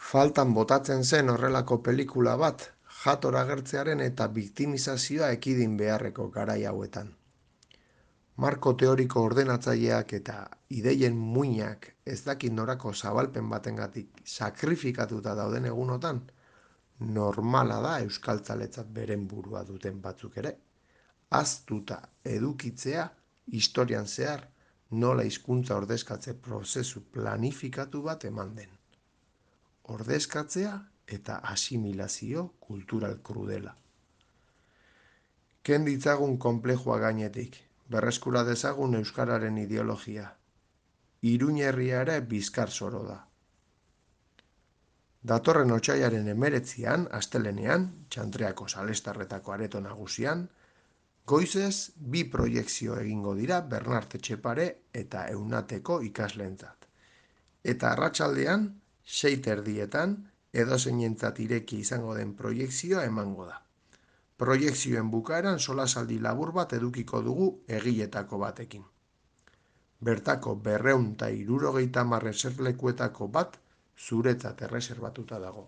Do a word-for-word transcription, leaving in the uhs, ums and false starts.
Faltan botatzen zen horrelako pelikula bat, jator agertzearen eta biktimizazioa ekidin beharreko garai hauetan. Marko teoriko ordenatzaileak eta ideien muinak ez dakit norako zabalpen batengatik sakrifikatuta dauden egunotan, normala da euskaltzaletzat beren burua duten batzuk ere. Ahaztuta edukitzea historian zehar nola hizkuntza ordezkatze prozesu planifikatu bat eman den. Ordezkatzea eta asimilazio kultural krudela. Ken ditzagun konplejua gainetik, berreskura dezagun euskararen ideologia. Iruñerria ere bizkar zoro da. Datorren otsailaren hemeretzian, astelenean, Txantreako Salestarretako areto nagusian, goizez bi proiekzio egingo dira Bernart Etxepare eta Eunateko ikasleentzat. Eta arratsaldean, sei terdietan, edozeinentzat ireki izango den proiekzioa emango da. Proiekzioen bukaeran solasaldi labur bat edukiko dugu egiletako batekin. Bertako berrehun eta hirurogeita hamar eserlekuetako bat zuretzat erreserbatuta dago.